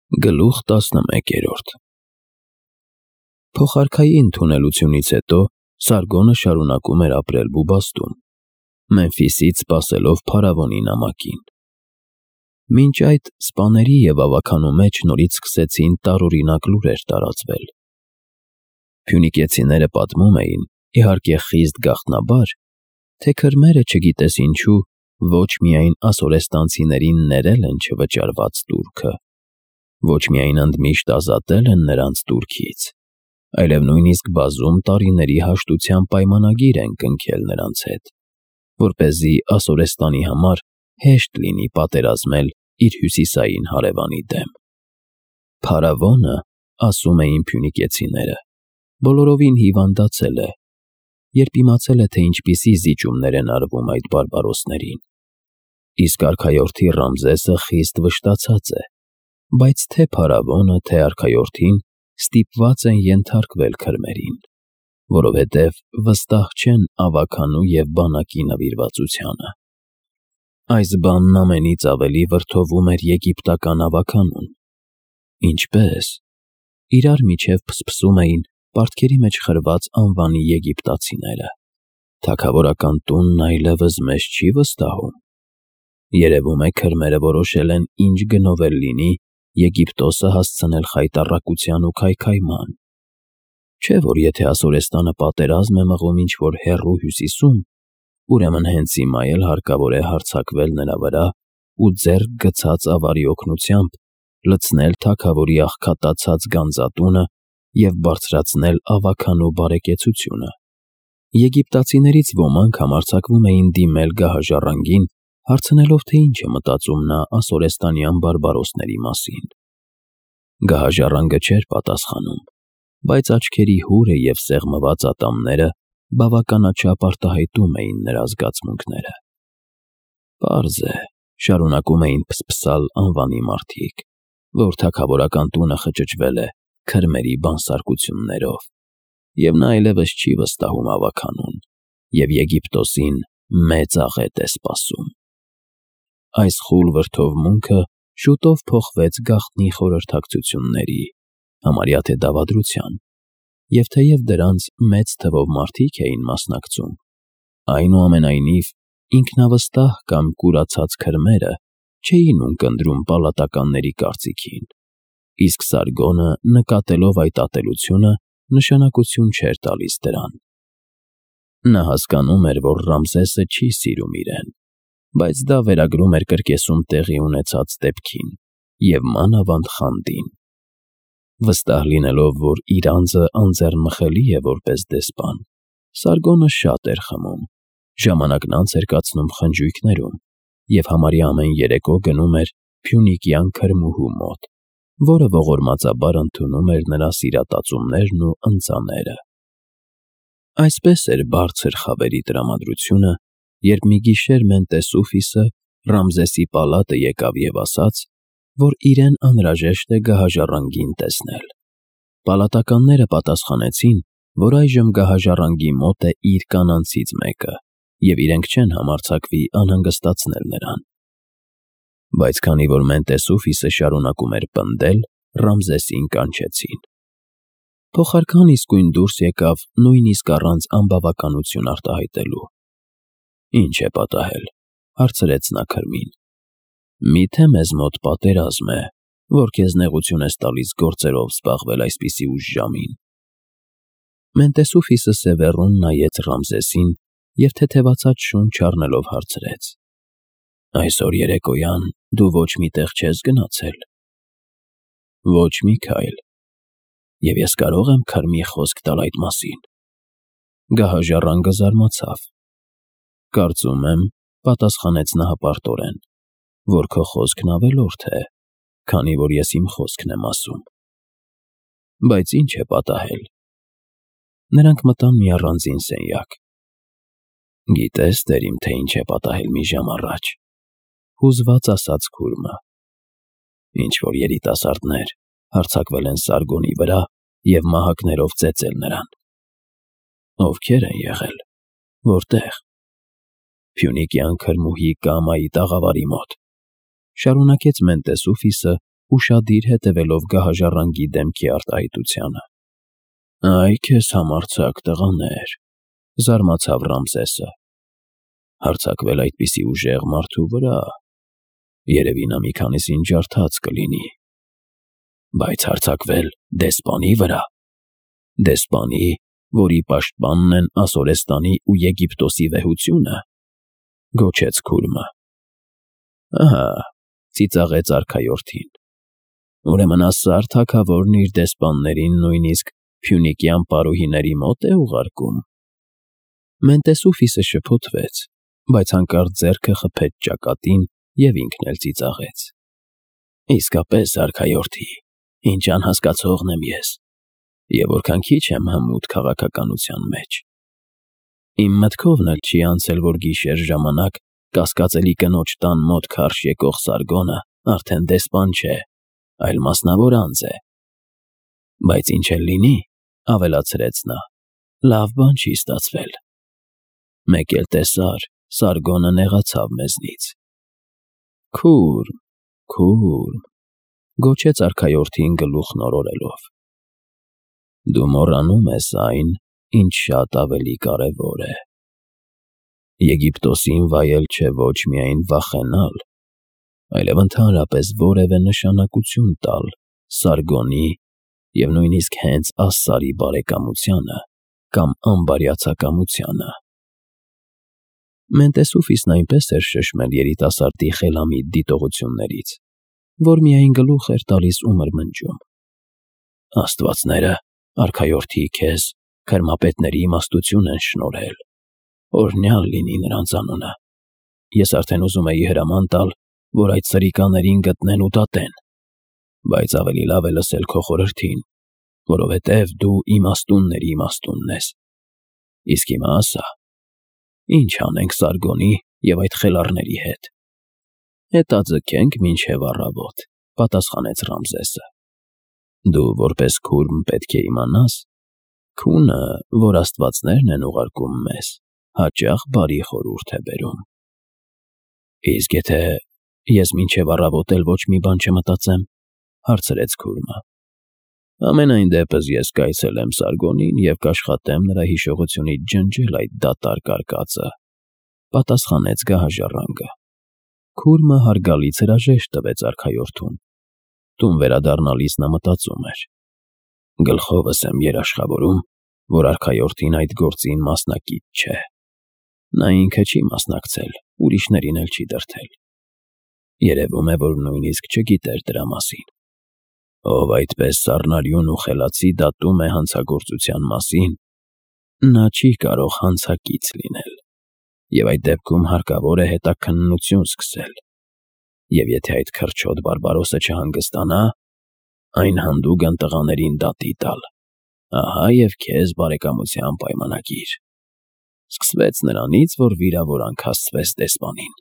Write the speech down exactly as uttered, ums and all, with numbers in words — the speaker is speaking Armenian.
Գլուխ տասնմեկերորդ Փոխարքայի ընդունելությունից հետո Սարգոնը շարունակում էր ապրել Բուբաստում, Մեմֆիսից սպասելով փարավոնի նամակին։ Մինչ այդ սպաների և ավագանու մեջ նորից սկսեցին տարօրինակ լուրեր տարածվել։ Փյունիկեցիները պատմում էին, իհարկե խիստ գաղտնաբար, թե քրմերը չգիտես ինչու ոչ միայն ասորեստանցիներին ներել են չվճարված տուրքը, ոչ միայն ընդմիշտ ազատել են նրանց տուրքից, այլև նույնիսկ բազում տարիների հաշտության պայմանագիր են կնքել նրանց հետ, որպեսզի Ասորեստանի համար հեշտ լինի պատերազմել իր հյուսիսային հարևանի դեմ։ Փարավոնը, ասում էին փյունիկեցիները, բոլորովին հիվանդացել է, երբ իմացել է, թե ինչպիսի զիջումներ են արվում այդ բարբարոսներին, իսկ արքայորդի Ռամզեսը խիստ վշտացած է, բայց թե փարավոնը, թե արքայորդին ստիպված են ենթարկվել քրմերին, որովհետև վստահ չեն ավագանու և բանակի նվիրվածությանը։ Այս բանն ամենից ավելի վրդովում էր եգիպտական ավագանուն։ Ինչպե՞ս։ Իրար միջև փսփսում էին պարտքերի մեջ խրված անվանի եգիպտացիները։ Թագավորական տունն այլևս մեզ չի վստահում։ Երևում է քրմերը որոշել են ինչ գնով էլ լինի Եգիպտոսը հասցնել խայտառակության ու քայքայման։ Չէ՞ որ եթե Ասորեստանը պատերազմ է մղում ինչ-որ հեռու հյուսիսում, ուրեմն հենց հիմա էլ հարկավոր է հարձակվել նրա վրա ու ձեռք գցած ավարի օգնությամբ լցնել թագավորի աղքատացած գանձատունը և բարձրացնել ավագանու բարեկեցությունը։ Եգիպտացիներից ոմանք համարձակվում էին դիմել գահաժառանգին, հարցնելով, թե ինչ է մտածում նա ասորեստանյան բարբարոսների մասին։ Գահաժառանգը չէր պատասխանում, բայց աչքերի հուրը և սեղմված ատամները բավականաչափ արտահայտում էին նրա զգացմունքները։ Պարզ է, շարունակում էին փսփսալ անվանի մարդիկ, որ թագավորական տունը խճճվել է քրմերի բանսարկություններով, և նա այլևս չի վստահում ավագանուն, և Եգիպտոսին մեծ աղետ է սպասում։ Այս խուլ վրդովմունքը շուտով փոխվեց գաղտնի խորհրդակցությունների, համարյա թե դավադրության, և թեև դրանց մեծ թվով մարդիկ էին մասնակցում, այնուամենայնիվ ինքնավստահ կամ կուրացած քրմերը չէին ունկնդրում պալատականների կարծիքին, իսկ Սարգոնը, նկատելով այդ ատելությունը, նշանակություն չէր տալիս դրան։ Նա հասկանում էր, որ Ռամզեսը չի սիրում իրեն, բայց դա վերագրում էր կրկեսում տեղի ունեցած դեպքին և մանավանդ խանդին։ Վստահ լինելով, որ իր անձը անձեռնմխելի է որպես դեսպան, Սարգոնը շատ էր խմում, ժամանակն անց էր կացնում խնջույքներում և համարյա ամեն երեկո գնում էր փյունիկյան քրմուհու մոտ, որը ողորմածաբար ընդունում էր նրա սիրատածումներն ու ընծաները։ Այսպես էր բարձր խավերի տրամադրությունը, երբ մի գիշեր Մենտեսուֆիսը Ռամզեսի պալատը եկավ և ասաց, որ իրեն անհրաժեշտ է գահաժառանգին տեսնել։ Պալատականները պատասխանեցին, որ այժմ գահաժառանգի մոտ է իր կանանցից մեկը, և իրենք չեն համարձակվի անհանգստացնել նրան։ Բայց քանի որ Մենտեսուֆիսը շարունակում էր պնդել, Ռամզեսին կանչեցին։ Փոխարքան իսկույն դուրս եկավ նույնիսկ առանց անբավականություն արտահայտելու։ Ինչ է պատահել, հարցրեց նա քրմին։ Մի՞թե մեզ մոտ պատերազմ է, որ քեզ նեղություն ես տալիս գործերով զբաղվել այսպիսի ուշ ժամին։ Մենտեսուֆիսը սևեռուն նայեց Ռամզեսին և թեթևացած շունչ առնելով հարցրեց. Այսօր երեկոյան դու ոչ մի տեղ չես գնացել։ Ոչ մի քայլ։ Եվ ես կարո՞ղ եմ քրմի խոսք տալ այդ մասին։ Գահաժառանգը զարմացավ։ Կարծում եմ, պատասխանեց նա հպարտորեն, որ քո խոսքն ավելորդ է, քանի որ ես իմ խոսքն եմ ասում։ Բայց ինչ է պատահել։ Նրանք մտան մի առանձին սենյակ։ Գիտես, տեր իմ, թե ինչ է պատահել մի ժամ առաջ, հուզված ասաց քուրմը։ Ինչ-որ երիտասարդներ հարձակվել են Սարգոնի վրա և մահակներով ծեծել նրան։ Ովքեր են եղել, որտե՞ղ։ Փյունիկյան քրմուհի Կամայի տաղավարի մոտ, շարունակեց Մենտեսուֆիսը, ուշադիր հետևելով գահաժառանգի դեմքի արտահայտությանը։ «Այ քեզ համարձակ տղաներ», զարմացավ Ռամզեսը։ «Հարձակվել այդպիսի ուժեղ մարդու վրա, երևի նա մի քանիսին ջարդած կլինի, բայց հարձակվել դեսպանի վրա, դեսպանի, որի պաշտպանն են Ասորեստանի ու Եգիպտոսի վեհությունը», գոչեց Քուրմը։ «Ահա», ծիծաղեց արքայորդին, «ուրեմն Ասար թագավորն իր դեսպաններին նույնիսկ Փյունիկյան պարուհիների մոտ է ուղարկում»։ Մենտեսուֆիսը շփոթվեց, բայց հանկարծ ձեռքը խփեց ճակատին և ինքն էլ ծիծաղեց։ «Իսկապես, արքայորդի, ինչ անհասկացողն եմ ես, և որքան քիչ եմ հմուտ քաղաքականության մեջ։ Իմ մտքովն էլ չի անցել, որ գիշեր ժամանակ կասկածելի կնոջ տան մոտ քարշ եկող Սարգոնը արդեն դեսպան չէ, այլ մասնավոր անձ է։ Բայց ինչ էլ լինի, — ավելացրեց նա, — լավ բան չի ստացվել։ Մեկ էլ տեսար, Սարգոնը նեղացավ մեզնից»։ «Քուրմ, Քուրմ», գոչեց արքայորդին գլուխն օրորելով, «դու մոռանում ես այն, ինչ շատ ավելի կարևոր է։ Եգիպտոսին վայել չէ ոչ միայն վախենալ, այլև ընդհանրապես որևէ նշանակություն տալ Սարգոնի և նույնիսկ հենց Ասսարի բարեկամությանը կամ անբարյացակամությանը»։ Մենտեսուֆիսն այնպես էր շշմել երիտասարդի խելամիտ դիտողություններից, որ միայն գլուխ էր տալիս ու մրմնջում. «Աստվածները, արքայորդի, քեզ քրմապետների իմաստություն են շնորհել, օրհնյալ լինի նրանց անունը։ Ես արդեն ուզում էի հրաման տալ, որ այդ սրիկաներին գտնեն ու դատեն, բայց ավելի լավ է լսել քո խորհրդին, որովհետև դու իմաստունների իմաստունն ես։ Իսկ հիմա ասա, ի՞նչ անենք Սարգոնի և այդ խելառների հետ»։ «Հետաձգենք մինչև առավոտ», — պատասխանեց Ռամզեսը։ «Դու որպես քուրմ պետք է իմանաս, քունը, որ աստվածներն են ուղարկում մեզ, հաճախ բարի խորհուրդ է բերում»։ «Իսկ եթե ես մինչև առավոտ էլ ոչ մի բան չմտածեմ», — հարցրեց Քուրմը։ «Համենայն դեպս ես կայցելեմ Սարգոնին և կաշխատեմ նրա հիշողությունից ջնջել այդ դատարկ արկածը», — պատասխանեց գահաժառանգը։ Քուրմը հարգալից հրաժեշտ տվեց արքայորդուն։ Տուն վերադառնալիս նա մտածում էր. «Գլխովս եմ երաշխավորում, որ արքայորդին այդ գործին մասնակից չէ։ Նա ինքը չի մասնակցել, ուրիշներին էլ չի դրդել։ Երևում է, որ նույնիսկ չգիտեր դրա մասին։ Ով այդպես սառնարյուն ու խելացի դատում է հանցագործության մասին, նա չի կարող հանցակից լինել, և այդ դեպքում հարկավոր է հետաքննություն սկսել, և եթե այդ քրչոտ բարբարոսը չհանգստանա, այն հանդուգն տղաներին դատի տալ։ Ահա և քեզ բարեկամության պայմանագիր»։ Սկսվեց նրանից, որ վիրավորանք հասցվեց դեսպանին։